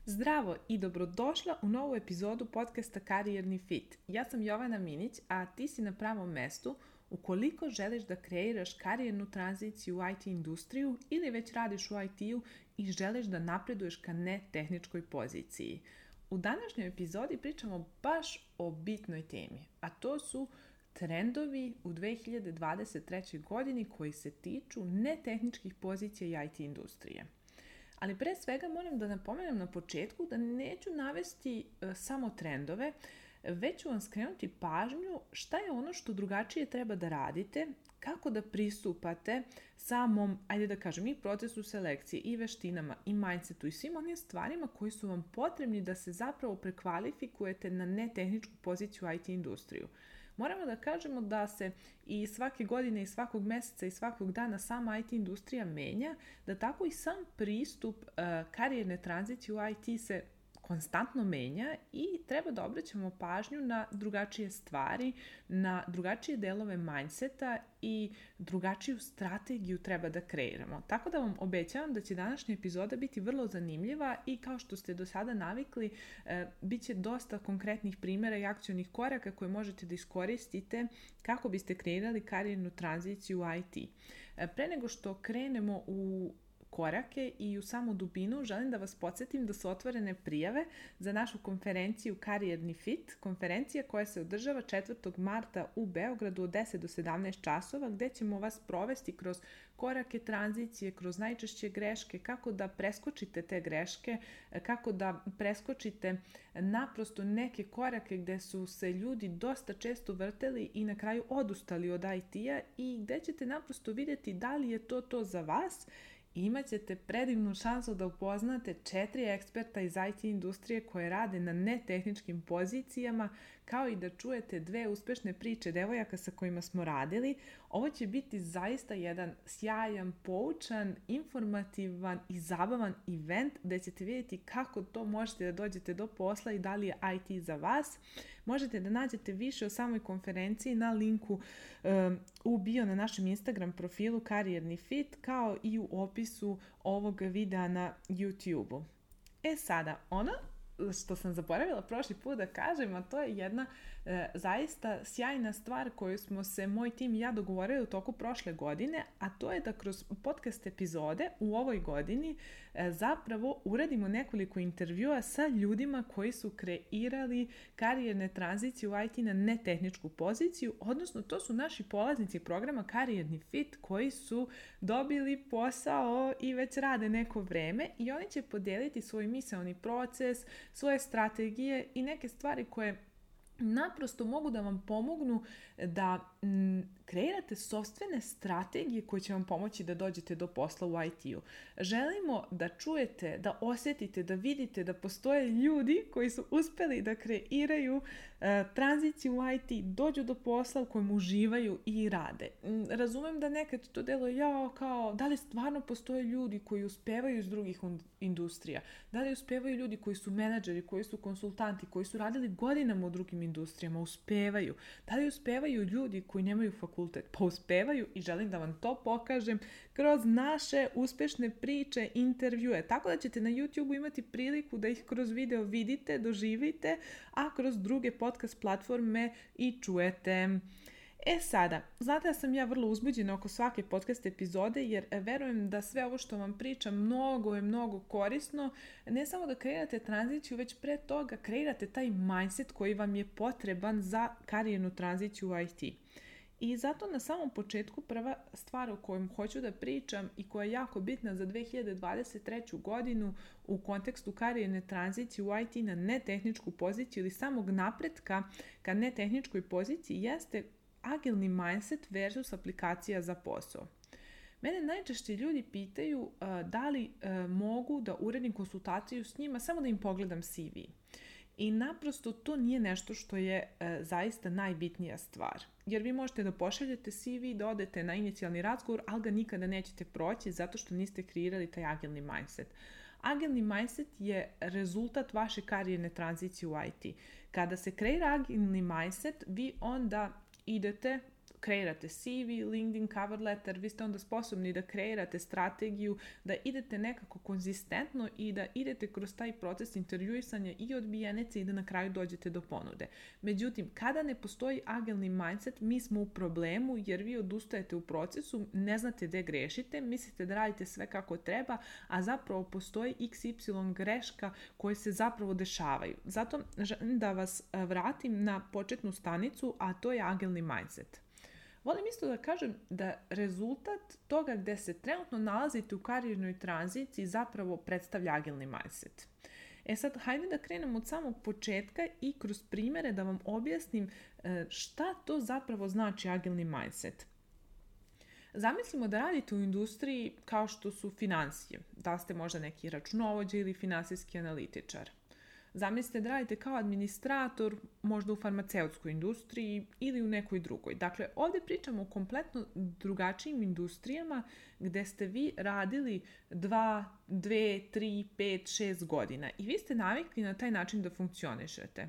Zdravo i dobrodošla u novu epizodu podcasta Karijerni fit. Ja sam Jovana Minić, a ti si na pravom mestu ukoliko želiš da kreiraš karijernu tranziciju u IT industriju ili već radiš u IT-u i želiš da napreduješ ka netehničkoj poziciji. U današnjoj epizodi pričamo baš o bitnoj temi, a to su trendovi u 2023. godini koji se tiču netehničkih pozicija i IT industrije. Ali pre svega moram da napomenem na početku da neću navesti samo trendove, već ću vam skrenuti pažnju šta je ono što drugačije treba da radite, kako da pristupate samom, ajde da kažem, i procesu selekcije, i veštinama, i mindsetu, i svim onim stvarima koji su vam potrebni da se zapravo prekvalifikujete na netehničku poziciju u IT industriju. Moramo da kažemo da se i svake godine, i svakog meseca, i svakog dana sama IT industrija menja, da tako i sam pristup karijerne tranzicije u IT se konstantno menja i treba da obraćamo pažnju na drugačije stvari, na drugačije delove mindseta i drugačiju strategiju treba da kreiramo. Tako da vam obećavam da će današnja epizoda biti vrlo zanimljiva i kao što ste do sada navikli, bit će dosta konkretnih primjera i akcionih koraka koje možete da iskoristite kako biste kreirali karijernu tranziciju u IT. Pre nego što krenemo u korake i u samu dubinu, želim da vas podsjetim da su otvorene prijave za našu konferenciju Karijerni fit, konferencija koja se održava 4. marta u Beogradu od 10 do 17 časova, gde ćemo vas provesti kroz korake tranzicije, kroz najčešće greške, kako da preskočite te greške, kako da preskočite naprosto neke korake gde su se ljudi dosta često vrteli i na kraju odustali od IT-a i gde ćete naprosto vidjeti da li je to za vas. Imat ćete predivnu šansu da upoznate 4 eksperta iz IT industrije koje rade na netehničkim pozicijama, kao i da čujete 2 uspešne priče devojaka sa kojima smo radili. Ovo će biti zaista jedan sjajan, poučan, informativan i zabavan event gde ćete vidjeti kako to možete da dođete do posla i da li je IT za vas. Možete da nađete više o samoj konferenciji na linku u bio na našem Instagram profilu Karijerni fit, kao i u opisu ovog videa na YouTube-u. Sada, ono što sam zaboravila prošli put da kažem, a to je jedna zaista sjajna stvar koju smo se moj tim i ja dogovorili u toku prošle godine, a to je da kroz podcast epizode u ovoj godini zapravo uradimo nekoliko intervjua sa ljudima koji su kreirali karijerne tranzicije u IT na netehničku poziciju, odnosno to su naši polaznici programa Karijerni fit koji su dobili posao i već rade neko vreme i oni će podeliti svoj misaoni proces, svoje strategije i neke stvari koje naprosto mogu da vam pomognu da kreirate sopstvene strategije koje će vam pomoći da dođete do posla u IT-u. Želimo da čujete, da osjetite, da vidite da postoje ljudi koji su uspeli da kreiraju tranziciju u IT, dođu do posla u kojem uživaju i rade. Razumem da nekad to deluje kao da li stvarno postoje ljudi koji uspevaju iz drugih industrija, da li uspevaju ljudi koji su menadžeri, koji su konsultanti, koji su radili godinama u drugim industrijama, uspevaju. Da li uspevaju ljudi koji nemaju fakultet? Pa uspevaju i želim da vam to pokažem kroz naše uspešne priče, intervjue. Tako da ćete na YouTube imati priliku da ih kroz video vidite, doživite, a kroz druge podcast platforme i čujete. Sada, znate da sam ja vrlo uzbuđena oko svake podcast epizode jer verujem da sve ovo što vam pričam mnogo korisno, ne samo da kreirate tranziciju, već pre toga kreirate taj mindset koji vam je potreban za karijernu tranziciju u IT. I zato na samom početku prva stvar o kojoj hoću da pričam i koja je jako bitna za 2023. godinu u kontekstu karijerne tranzicije u IT na netehničku poziciju ili samog napretka ka netehničkoj poziciji jeste agilni mindset versus aplikacija za posao. Mene najčešće ljudi pitaju da li mogu da uredim konsultaciju s njima samo da im pogledam CV. I naprosto to nije nešto što je zaista najbitnija stvar. Jer vi možete da pošaljete CV, da odete na inicijalni razgovor, ali ga nikada nećete proći zato što niste kreirali taj agilni mindset. Agilni mindset je rezultat vaše karijerne tranzicije u IT. Kada se kreira agilni mindset, vi onda idete kreirate CV, LinkedIn cover letter, vi ste onda sposobni da kreirate strategiju, da idete nekako konzistentno i da idete kroz taj proces intervjuisanja i odbijenice i da na kraju dođete do ponude. Međutim, kada ne postoji agilni mindset, mi smo u problemu jer vi odustajete u procesu, ne znate gde grešite, mislite da radite sve kako treba, a zapravo postoji XY greška koje se zapravo dešavaju. Zato želim da vas vratim na početnu stanicu, a to je agilni mindset. Volim isto da kažem da rezultat toga gde se trenutno nalazite u karijernoj tranziciji zapravo predstavlja agilni mindset. Sad, hajde da krenemo od samog početka i kroz primere da vam objasnim šta to zapravo znači agilni mindset. Zamislimo da radite u industriji kao što su finansije, da ste možda neki računovođa ili finansijski analitičar. Zamislite da radite kao administrator, možda u farmaceutskoj industriji ili u nekoj drugoj. Dakle, ovdje pričamo o kompletno drugačijim industrijama gde ste vi radili 2, 3, 5, 6 godina i vi ste navikli na taj način da funkcionišete.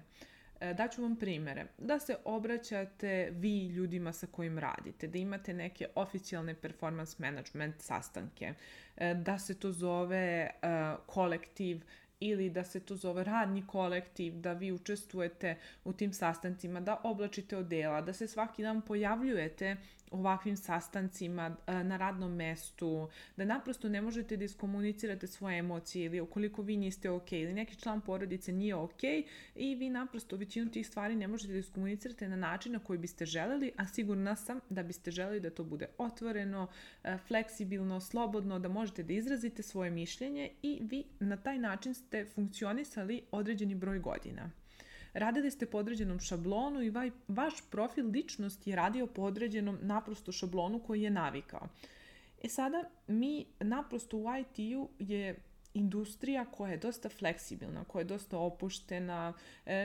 Daću vam primere. Da se obraćate vi ljudima sa kojim radite, da imate neke oficijalne performance management sastanke, da se to zove kolektiv ili da se to zove radni kolektiv, da vi učestvujete u tim sastancima, da oblačite odela, da se svaki dan pojavljujete ovakvim sastancima na radnom mestu, da naprosto ne možete da iskomunicirate svoje emocije ili ukoliko vi niste ok ili neki član porodice nije ok i vi naprosto većinu tih stvari ne možete da iskomunicirate na način na koji biste želeli, a sigurna sam da biste želeli da to bude otvoreno, fleksibilno, slobodno, da možete da izrazite svoje mišljenje i vi na taj način ste funkcionisali određeni broj godina. Radili ste po određenom šablonu i vaš profil ličnosti je radio po određenom naprosto šablonu koji je navikao. Sada mi naprosto u IT-u je industrija koja je dosta fleksibilna, koja je dosta opuštena,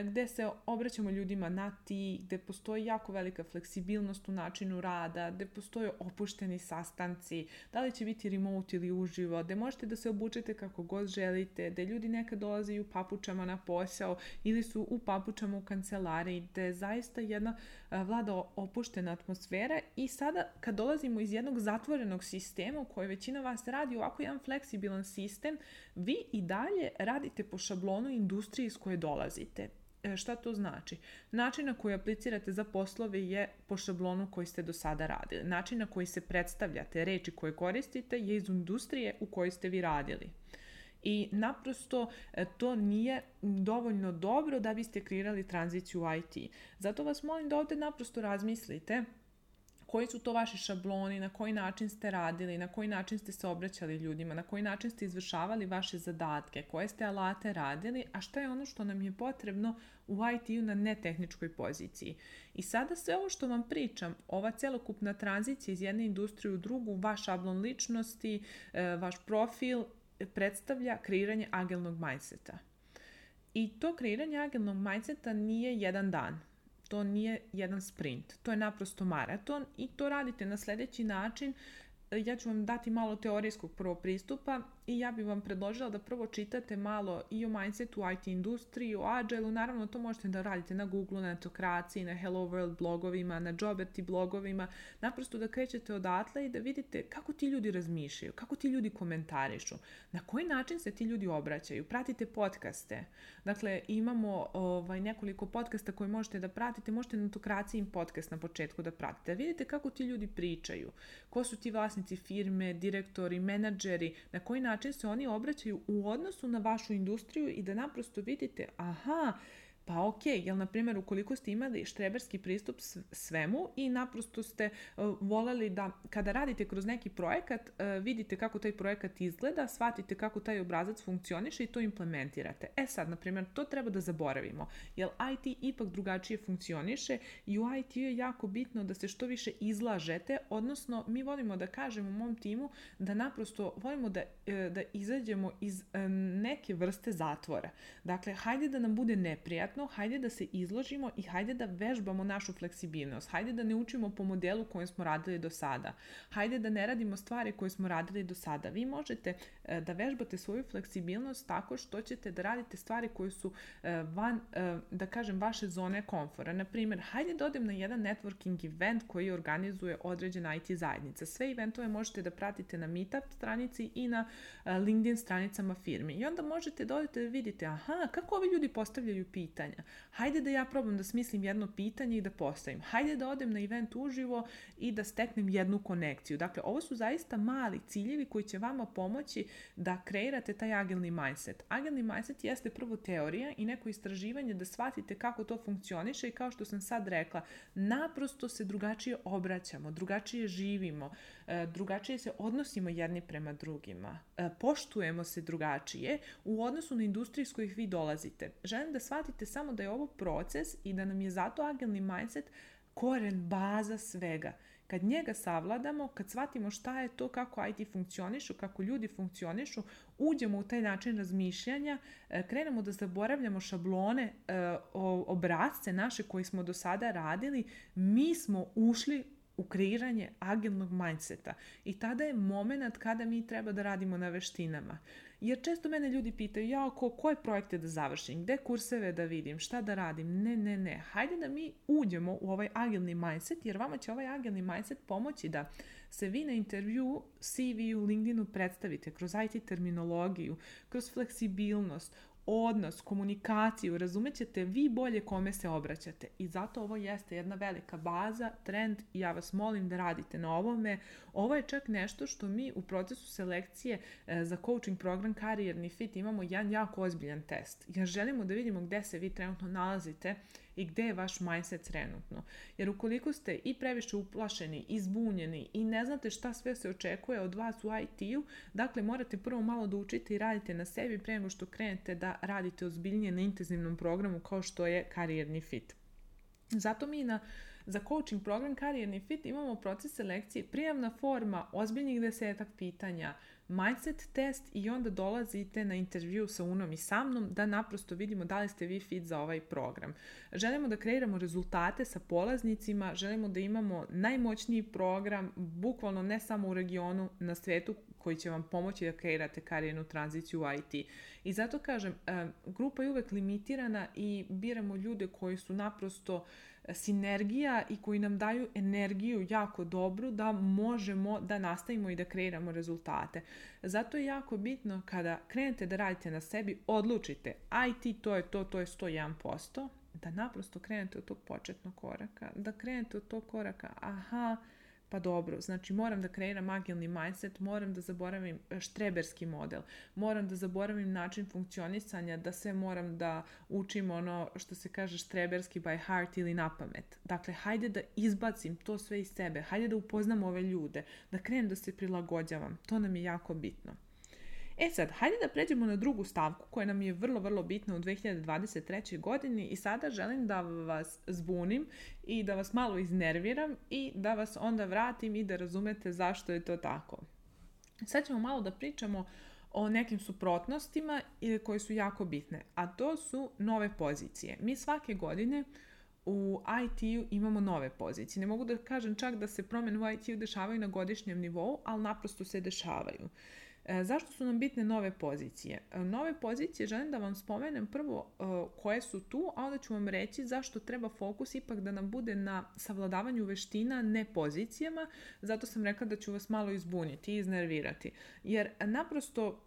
gde se obraćamo ljudima na ti, gde postoji jako velika fleksibilnost u načinu rada, gde postoje opušteni sastanci, da li će biti remote ili uživo, gde možete da se obučete kako god želite, gde ljudi nekad dolaze u papučama na posao ili su u papučama u kancelariji, gde je zaista jedna vlada opuštena atmosfera i sada kad dolazimo iz jednog zatvorenog sistema u kojoj većina vas radi ovako jedan fleksibilan sistem, vi i dalje radite po šablonu industrije iz koje dolazite. Šta to znači? Način na koji aplicirate za poslove je po šablonu koji ste do sada radili. Način na koji se predstavljate, reči koje koristite je iz industrije u kojoj ste vi radili. I naprosto to nije dovoljno dobro da biste kreirali tranziciju u IT. Zato vas molim da ovdje naprosto razmislite koji su to vaši šabloni, na koji način ste radili, na koji način ste se obraćali ljudima, na koji način ste izvršavali vaše zadatke, koje ste alate radili, a šta je ono što nam je potrebno u IT-u na netehničkoj poziciji. I sada sve ovo što vam pričam, ova celokupna tranzicija iz jedne industrije u drugu, vaš šablon ličnosti, vaš profil, predstavlja kreiranje agilnog mindseta. I to kreiranje agilnog mindseta nije jedan dan. To nije jedan sprint, to je naprosto maraton i to radite na sljedeći način. Ja ću vam dati malo teorijskog prvo pristupa i ja bih vam predložila da prvo čitate malo i o mindsetu, IT industriji, o Agile-u. Naravno, to možete da radite na Google, na Netokraciji, na Hello World blogovima, na Joberti blogovima. Naprosto da krećete odatle i da vidite kako ti ljudi razmišljaju, kako ti ljudi komentarišu, na koji način se ti ljudi obraćaju. Pratite podcaste. Dakle, imamo nekoliko podcasta koje možete da pratite. Možete na Netokraciji podcast na početku da pratite. Vidite kako ti ljudi pričaju, ko su ti vlasnici firme, direktori, menadžeri, na koji način se oni obraćaju u odnosu na vašu industriju i da naprosto vidite, pa ok, jel na primjer ukoliko ste imali štreberski pristup svemu i naprosto ste voleli da kada radite kroz neki projekat, vidite kako taj projekat izgleda, shvatite kako taj obrazac funkcioniše i to implementirate. Sad, na primjer, to treba da zaboravimo, jer IT ipak drugačije funkcioniše i u IT je jako bitno da se što više izlažete, odnosno mi volimo da kažemo u mom timu da naprosto volimo da izađemo iz neke vrste zatvora. Dakle, hajde da nam bude neprijatno, konkretno, hajde da se izložimo i hajde da vežbamo našu fleksibilnost. Hajde da ne učimo po modelu kojem smo radili do sada. Hajde da ne radimo stvari koje smo radili do sada. Vi možete da vežbate svoju fleksibilnost tako što ćete da radite stvari koje su van, da kažem, vaše zone komfora. Naprimjer, hajde da odem na jedan networking event koji organizuje određena IT zajednica. Sve eventove možete da pratite na Meetup stranici i na LinkedIn stranicama firmi. I onda možete da odete da vidite, aha, kako ovi ljudi postavljaju pitanja. Hajde da ja probam da smislim jedno pitanje i da postavim. Hajde da odem na event uživo i da steknem jednu konekciju. Dakle, ovo su zaista mali ciljevi koji će vama pomoći da kreirate taj agilni mindset. Agilni mindset jeste prvo teorija i neko istraživanje da shvatite kako to funkcioniše i kao što sam sad rekla, naprosto se drugačije obraćamo, drugačije živimo, drugačije se odnosimo jedni prema drugima, poštujemo se drugačije u odnosu na industriju s kojih vi dolazite. Želim da shvatite samo da je ovo proces i da nam je zato agilni mindset koren, baza svega. Kad njega savladamo, kad shvatimo šta je to, kako IT funkcionišu, kako ljudi funkcionišu, uđemo u taj način razmišljanja, krenemo da zaboravljamo šablone, obrasce naše koje smo do sada radili, mi smo ušli u kreiranje agilnog mindseta. I tada je moment kada mi treba da radimo na veštinama. Jer često mene ljudi pitaju, koje projekte da završim, gde kurseve da vidim, šta da radim. Ne. Hajde da mi uđemo u ovaj agilni mindset, jer vama će ovaj agilni mindset pomoći da se vi na intervju, CV-u, LinkedInu predstavite kroz IT terminologiju, kroz fleksibilnost, odnos, komunikaciju, razumećete vi bolje kome se obraćate. I zato ovo jeste jedna velika baza, trend i ja vas molim da radite na ovome. Ovo je čak nešto što mi u procesu selekcije za coaching program Karijerni fit imamo jedan jako ozbiljan test. Jer želimo da vidimo gde se vi trenutno nalazite i gde je vaš mindset trenutno. Jer ukoliko ste i previše uplašeni, izbunjeni i ne znate šta sve se očekuje od vas u IT-u, dakle morate prvo malo da učite i radite na sebi pre nego što krenete da radite ozbiljnije na intenzivnom programu kao što je Karijerni fit. Zato mi za coaching program Karijerni fit imamo proces selekcije, prijavna forma, ozbiljnih 10 pitanja, mindset test i onda dolazite na intervju sa Unom i sa mnom da naprosto vidimo da li ste vi fit za ovaj program. Želimo da kreiramo rezultate sa polaznicima, želimo da imamo najmoćniji program, bukvalno ne samo u regionu, na svetu, koji će vam pomoći da kreirate karijernu tranziciju u IT. I zato kažem, grupa je uvek limitirana i biramo ljude koji su naprosto sinergija i koji nam daju energiju jako dobru da možemo da nastavimo i da kreiramo rezultate. Zato je jako bitno kada krenete da radite na sebi, odlučite IT to je 101%, da naprosto krenete od tog početnog koraka, da krenete od tog koraka, pa dobro, znači moram da kreiram agilni mindset, moram da zaboravim štreberski model, moram da zaboravim način funkcionisanja, da sve moram da učim ono što se kaže štreberski by heart ili na pamet. Dakle, hajde da izbacim to sve iz sebe, hajde da upoznam ove ljude, da krenem da se prilagođavam, to nam je jako bitno. Sad, hajde da pređemo na drugu stavku koja nam je vrlo, vrlo bitna u 2023. godini i sada želim da vas zbunim i da vas malo iznerviram i da vas onda vratim i da razumete zašto je to tako. Sad ćemo malo da pričamo o nekim suprotnostima koje su jako bitne, a to su nove pozicije. Mi svake godine u IT-u imamo nove pozicije. Ne mogu da kažem čak da se promjene u IT-u dešavaju na godišnjem nivou, ali naprosto se dešavaju. Zašto su nam bitne nove pozicije? Nove pozicije želim da vam spomenem prvo koje su tu, a onda ću vam reći zašto treba fokus ipak da nam bude na savladavanju veština, ne pozicijama. Zato sam rekla da ću vas malo izbuniti i iznervirati. Jer naprosto,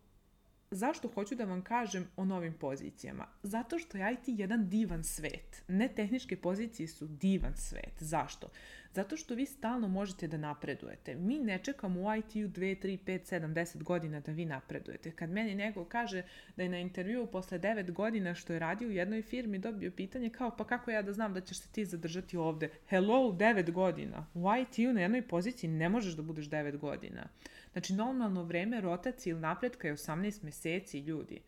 zašto hoću da vam kažem o novim pozicijama? Zato što je IT jedan divan svet. Ne tehničke pozicije su divan svet. Zašto? Zato što vi stalno možete da napredujete. Mi ne čekamo u IT-u 2, 3, 5, 7, 10 godina da vi napredujete. Kad meni neko kaže da je na intervjuu posle 9 godina što je radio u jednoj firmi dobio pitanje kao pa kako ja da znam da ćeš se ti zadržati ovde? Hello, 9 godina. U IT-u na jednoj poziciji ne možeš da budeš 9 godina. Znači normalno vreme rotacije ili napretka je 18 meseci, ljudi.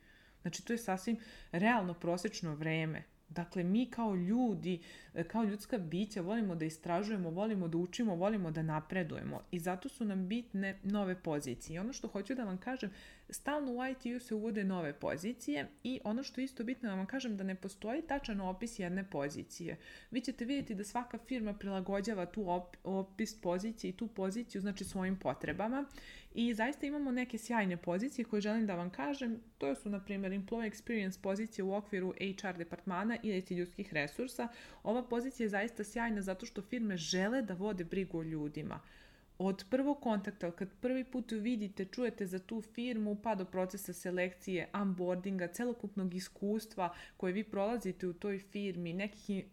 Znači to je sasvim realno prosečno vreme. Dakle, mi kao ljudi, kao ljudska bića volimo da istražujemo, volimo da učimo, volimo da napredujemo i zato su nam bitne nove pozicije. I ono što hoću da vam kažem, stalno u IT-u se uvode nove pozicije i ono što je isto bitno da vam kažem da ne postoji tačan opis jedne pozicije. Vi ćete vidjeti da svaka firma prilagođava tu opis pozicije i tu poziciju znači svojim potrebama i zaista imamo neke sjajne pozicije koje želim da vam kažem. To su na primjer Employee Experience pozicije u okviru HR departmana ili ljudskih resursa. Ova pozicija je zaista sjajna zato što firme žele da vode brigu o ljudima. Od prvog kontakta, kad prvi put vidite, čujete za tu firmu, pa do procesa selekcije, onboardinga, celokupnog iskustva koje vi prolazite u toj firmi,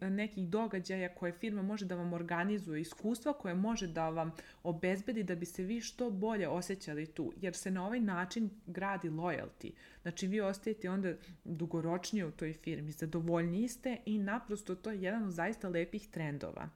nekih događaja koje firma može da vam organizuje, iskustva koje može da vam obezbedi da bi se vi što bolje osjećali tu, jer se na ovaj način gradi loyalty. Znači vi ostajete onda dugoročnije u toj firmi, zadovoljniji ste i naprosto to je jedan od zaista lepih trendova.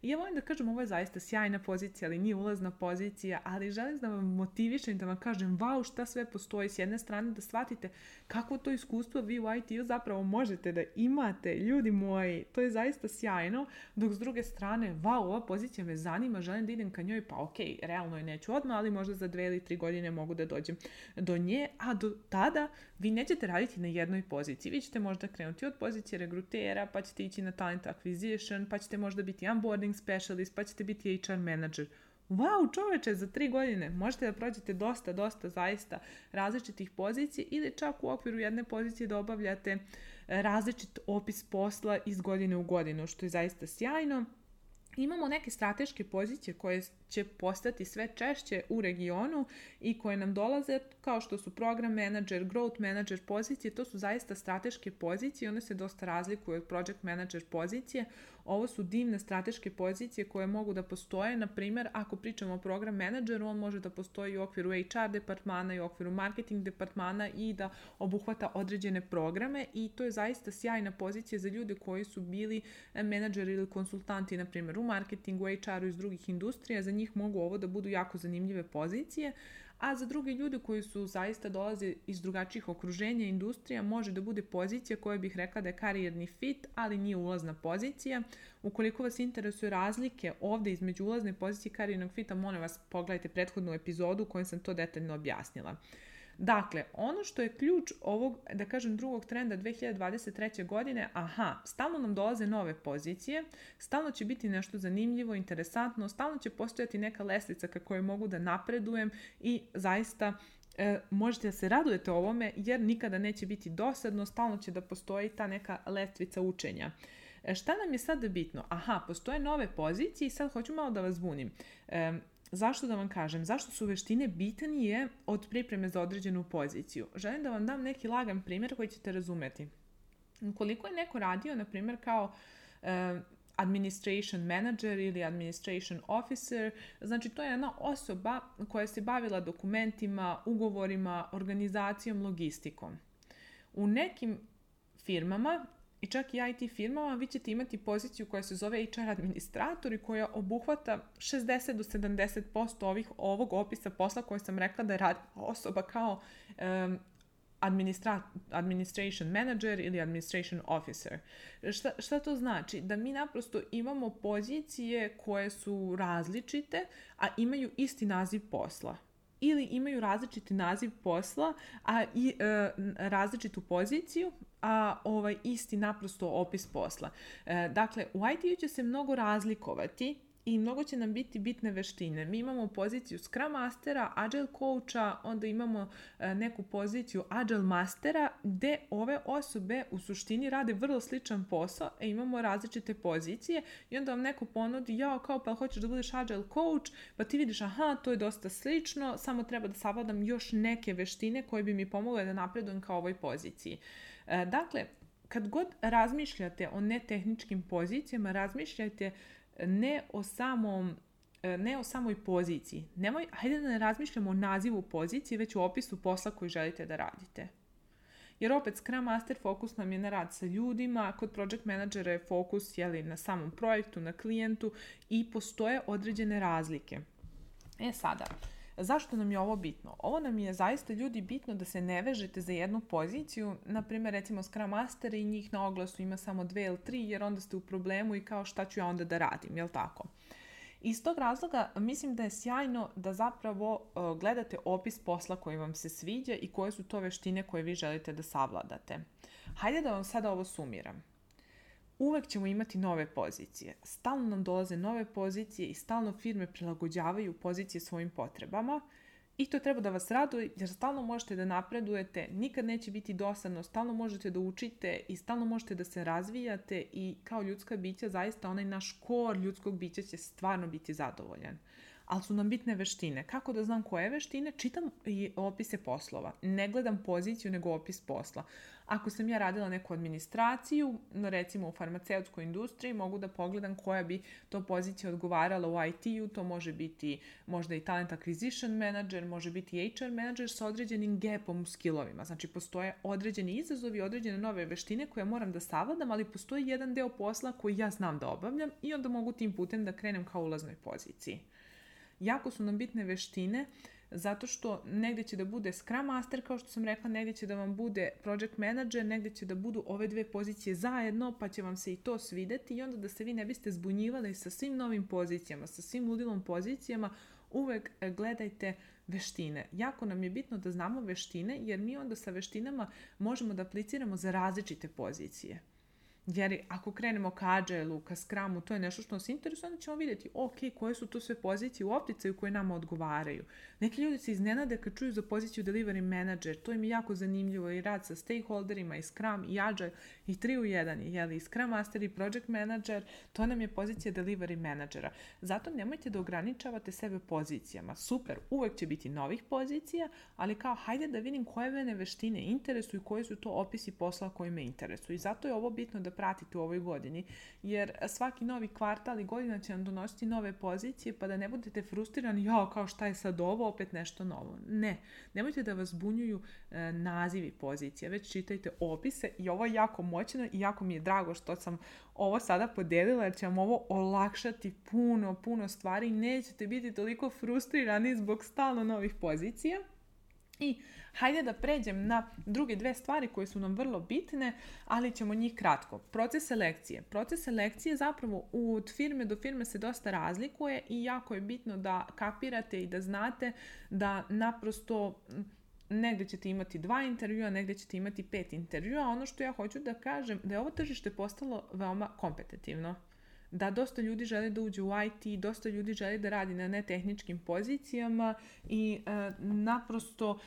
I ja volim da kažem, ovo je zaista sjajna pozicija, ali nije ulazna pozicija, ali želim da vam motivišem i da vam kažem, wow, šta sve postoji. S jedne strane da shvatite kako to iskustvo vi u IT-u zapravo možete da imate, ljudi moji, to je zaista sjajno, dok s druge strane, wow, ova pozicija me zanima, želim da idem ka njoj, pa ok, realno je neću odmah, ali možda za 2 ili 3 godine mogu da dođem do nje, a do tada vi nećete raditi na jednoj poziciji. Vi ćete možda krenuti od pozicije regrutera, pa ćete ići na talent acquisition, pa ćete možda biti onboarding specialist, pa ćete biti HR manager. Wow, čoveče, za 3 godine možete da prođete dosta zaista različitih pozicija ili čak u okviru jedne pozicije da obavljate različit opis posla iz godine u godinu, što je zaista sjajno. Imamo neke strateške pozicije koje će postati sve češće u regionu i koje nam dolaze kao što su program manager, growth manager pozicije. To su zaista strateške pozicije, one se dosta razlikuju od project manager pozicije. Ovo su divne strateške pozicije koje mogu da postoje. Na primjer, ako pričamo o program menadžeru, on može da postoji u okviru HR departmana i u okviru marketing departmana i da obuhvata određene programe i to je zaista sjajna pozicija za ljude koji su bili menadžeri ili konsultanti, na primjer u marketingu, HR-u iz drugih industrija. Za njih mogu ovo da budu jako zanimljive pozicije, a za druge ljude koji su zaista dolaze iz drugačijih okruženja i industrija može da bude pozicija koja bih rekla da je karijerni fit, ali nije ulazna pozicija. Ukoliko vas interesuju razlike ovdje između ulazne pozicije i karijernog fita, molim vas pogledajte prethodnu epizodu u kojoj sam to detaljno objasnila. Dakle, ono što je ključ ovog, da kažem, drugog trenda 2023. godine, stalno nam dolaze nove pozicije, stalno će biti nešto zanimljivo, interesantno, stalno će postojati neka lestvica kako je mogu da napredujem i zaista možete da se radujete ovome jer nikada neće biti dosadno, stalno će da postoji ta neka lestvica učenja. Šta nam je sad bitno? Postoje nove pozicije i sad hoću malo da vas zbunim. Zašto da vam kažem? Zašto su veštine bitnije od pripreme za određenu poziciju? Želim da vam dam neki lagan primjer koji ćete razumeti. Ukoliko je neko radio, na primjer, kao administration manager ili administration officer, znači to je jedna osoba koja se bavila dokumentima, ugovorima, organizacijom, logistikom. U nekim firmama i čak i IT firmama vi ćete imati poziciju koja se zove HR administrator i koja obuhvata 60 do 70% ovog opisa posla koje sam rekla da radi osoba kao administration manager ili administration officer. Šta to znači? Da mi naprosto imamo pozicije koje su različite, a imaju isti naziv posla. Ili imaju različiti naziv posla, a i različitu poziciju, a isti naprosto opis posla. Dakle, u IT-u će se mnogo razlikovati i mnogo će nam biti bitne veštine. Mi imamo poziciju Scrum Mastera, Agile Coacha, onda imamo neku poziciju Agile Mastera, gde ove osobe u suštini rade vrlo sličan posao, imamo različite pozicije i onda vam neko ponudi, pa hoćeš da budeš Agile Coach, pa ti vidiš, to je dosta slično, samo treba da savladam još neke veštine koje bi mi pomogle da napredujem ka ovoj poziciji. Dakle, kad god razmišljate o netehničkim pozicijama, razmišljajte ne o samoj poziciji. Hajde da ne razmišljamo o nazivu pozicije, već o opisu posla koji želite da radite. Jer opet Scrum Master fokus nam je na rad sa ljudima, kod Project Managera je fokus na samom projektu, na klijentu i postoje određene razlike. Sada, zašto nam je ovo bitno? Ovo nam je zaista, ljudi, bitno da se ne vežete za jednu poziciju, na primjer recimo Scrum Master i njih na oglasu ima samo 2 ili 3 jer onda ste u problemu i kao šta ću ja onda da radim, jel tako? Iz tog razloga mislim da je sjajno da zapravo gledate opis posla koji vam se sviđa i koje su to veštine koje vi želite da savladate. Hajde da vam sada ovo sumiram. Uvek ćemo imati nove pozicije. Stalno nam dolaze nove pozicije i stalno firme prilagođavaju pozicije svojim potrebama. I to treba da vas raduje jer stalno možete da napredujete, nikad neće biti dosadno, stalno možete da učite i stalno možete da se razvijate i kao ljudska bića zaista onaj naš kor ljudskog bića će stvarno biti zadovoljan. Ali su nam bitne veštine. Kako da znam koje veštine? Čitam i opise poslova. Ne gledam poziciju, nego opis posla. Ako sam ja radila neku administraciju, recimo u farmaceutskoj industriji, mogu da pogledam koja bi to pozicija odgovarala u IT-u. To može biti možda i talent acquisition manager, može biti HR manager sa određenim gapom u skillovima. Znači, postoje određeni izazovi, određene nove veštine koje moram da savladam, ali postoji jedan deo posla koji ja znam da obavljam i onda mogu tim putem da krenem ka ulaznoj poziciji. Jako su nam bitne veštine zato što negdje će da bude Scrum Master, kao što sam rekla, negdje će da vam bude Project Manager, negdje će da budu ove dve pozicije zajedno, pa će vam se i to svideti i onda da se vi ne biste zbunjivali sa svim novim pozicijama, sa svim ludilom pozicijama, uvek gledajte veštine. Jako nam je bitno da znamo veštine jer mi onda sa veštinama možemo da apliciramo za različite pozicije. Jer ako krenemo ka Agile-u, ka Scrumu, to je nešto što nas interesuje, onda ćemo vidjeti, koje su to sve pozicije u opticaju koje nama odgovaraju. Neki ljudi se iznenade kad čuju za poziciju Delivery Manager, to im je jako zanimljivo i rad sa stakeholderima i Scrum i Agile i 3 u 1, i Scrum Master i Project Manager, to nam je pozicija Delivery Managera. Zato nemojte da ograničavate sebe pozicijama. Super, uvek će biti novih pozicija, ali kao hajde da vidim koje mene veštine interesuju i koji su to opisi posla koji me interesuju. I zato je ovo bitno da pratite u ovoj godini, jer svaki novi kvartal i godina će vam donositi nove pozicije, pa da ne budete frustrirani, kao šta je sad ovo, opet nešto novo. Ne, nemojte da vas zbunjuju nazivi pozicija, već čitajte opise i ovo je jako moćno i jako mi je drago što sam ovo sada podelila, jer će vam ovo olakšati puno stvari i nećete biti toliko frustrirani zbog stalno novih pozicija. I hajde da pređem na druge dve stvari koje su nam vrlo bitne, ali ćemo njih kratko. Proces selekcije. Proces selekcije zapravo od firme do firme se dosta razlikuje i jako je bitno da kapirate i da znate da naprosto negdje ćete imati 2 intervjua, negdje ćete imati 5 intervjua. Ono što ja hoću da kažem da je ovo tržište postalo veoma kompetitivno. Da dosta ljudi želi da uđe u IT, dosta ljudi želi da radi na netehničkim pozicijama i naprosto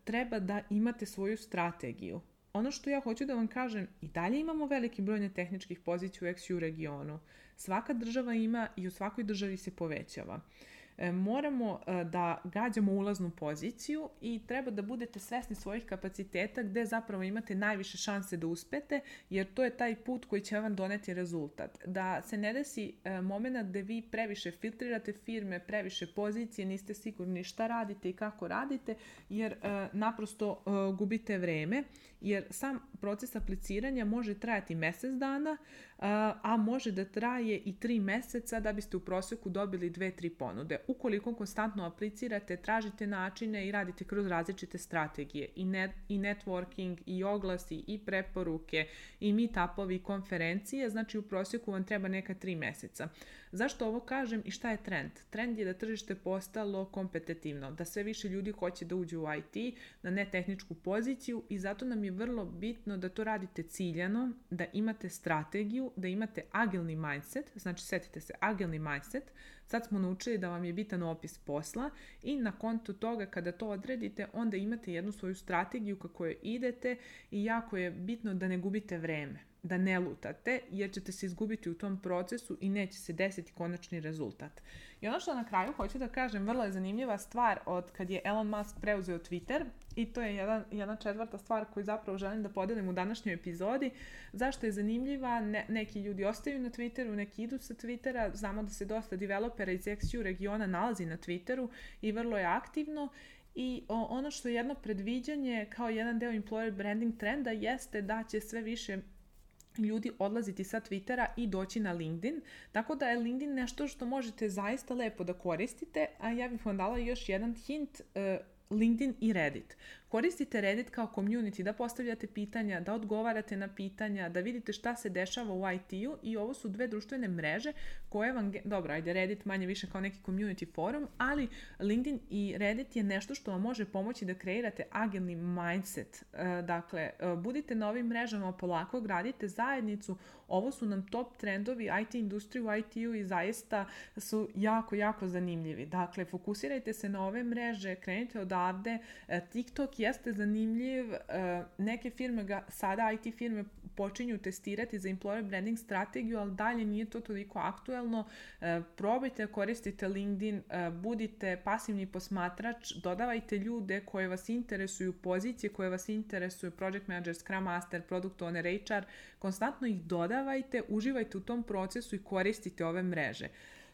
treba da imate svoju strategiju. Ono što ja hoću da vam kažem, i dalje imamo veliki broj netehničkih pozicija u XU regionu. Svaka država ima i u svakoj državi se povećava. Moramo da gađamo ulaznu poziciju i treba da budete svesni svojih kapaciteta gde zapravo imate najviše šanse da uspete, jer to je taj put koji će vam doneti rezultat. Da se ne desi moment gde vi previše filtrirate firme, previše pozicije, niste sigurni šta radite i kako radite, jer naprosto gubite vreme, jer sam proces apliciranja može trajati mjesec dana, a može da traje i 3 meseca da biste u prosjeku dobili 2-3 ponude. Ukoliko konstantno aplicirate, tražite načine i radite kroz različite strategije i networking, i oglasi, i preporuke, i meetupovi, i konferencije, znači u prosjeku vam treba neka 3 meseca. Zašto ovo kažem i šta je trend? Trend je da tržište postalo kompetitivno, da sve više ljudi hoće da uđe u IT, na netehničku poziciju i zato nam je vrlo bitno da to radite ciljano, da imate strategiju, da imate agilni mindset, znači setite se agilni mindset, sad smo naučili da vam je bitan opis posla i na kontu toga kada to odredite onda imate jednu svoju strategiju kako je idete i jako je bitno da ne gubite vreme, da ne lutate jer ćete se izgubiti u tom procesu i neće se desiti konačni rezultat. I ono što na kraju hoću da kažem, vrlo je zanimljiva stvar od kad je Elon Musk preuzeo Twitter i to je jedna četvrta stvar koju zapravo želim da podelim u današnjoj epizodi. Zašto je zanimljiva? Neki ljudi ostaju na Twitteru, neki idu sa Twittera, znamo da se dosta developera iz XU regiona nalazi na Twitteru i vrlo je aktivno. I ono što je jedno predviđanje kao jedan deo employer branding trenda jeste da će sve više ljudi odlaziti sa Twittera i doći na LinkedIn, tako da je LinkedIn nešto što možete zaista lepo da koristite, a ja bih vam dala još jedan hint, LinkedIn i Reddit. Koristite Reddit kao community, da postavljate pitanja, da odgovarate na pitanja, da vidite šta se dešava u IT-u i ovo su dve društvene mreže koje vam, dobro, ajde Reddit manje više kao neki community forum, ali LinkedIn i Reddit je nešto što vam može pomoći da kreirate agilni mindset. Dakle, budite na ovim mrežama, polako gradite zajednicu, ovo su nam top trendovi IT industrije u IT-u i zaista su jako, jako zanimljivi. Dakle, fokusirajte se na ove mreže, krenite odavde. TikTok jeste zanimljiv, neke firme sada IT firme počinju testirati za employer branding strategiju, ali dalje nije to toliko aktuelno. Probajte, koristite LinkedIn, budite pasivni posmatrač, dodavajte ljude koje vas interesuju, pozicije koje vas interesuju, project manager, scrum master, product owner, HR, konstantno ih dodavajte, uživajte u tom procesu i koristite ove mreže.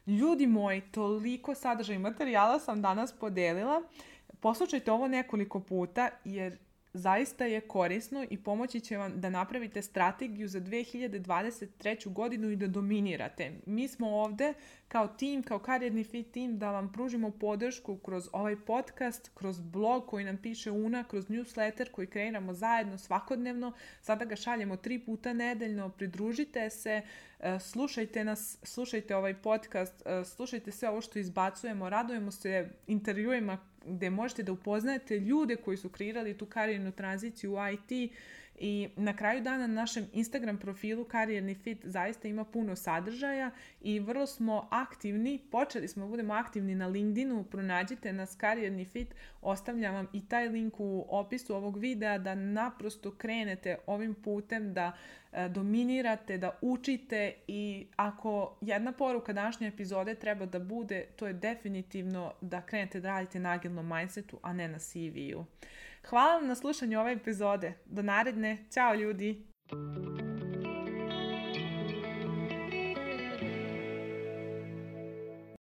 Ljudi moji, toliko sadržaja i materijala sam danas podelila. Poslušajte ovo nekoliko puta jer zaista je korisno i pomoći će vam da napravite strategiju za 2023. godinu i da dominirate. Mi smo ovde kao tim, kao Karijerni Fit tim da vam pružimo podršku kroz ovaj podcast, kroz blog koji nam piše Una, kroz newsletter koji kreiramo zajedno svakodnevno. Sada ga šaljemo 3 puta nedeljno. Pridružite se, slušajte nas, slušajte ovaj podcast, slušajte sve ovo što izbacujemo. Radujemo se intervjuima gde možete da upoznate ljude koji su kreirali tu karijernu tranziciju u IT i na kraju dana na našem Instagram profilu Karijerni Fit zaista ima puno sadržaja i vrlo smo aktivni, počeli smo da budemo aktivni na LinkedInu, pronađite nas Karijerni Fit, ostavljam vam i taj link u opisu ovog videa da naprosto krenete ovim putem, da dominirate, da učite i ako jedna poruka današnje epizode treba da bude, to je definitivno da krenete da radite na agilnom mindsetu, a ne na CV-u. Hvala vam na slušanju ove epizode. Do naredne. Ćao ljudi!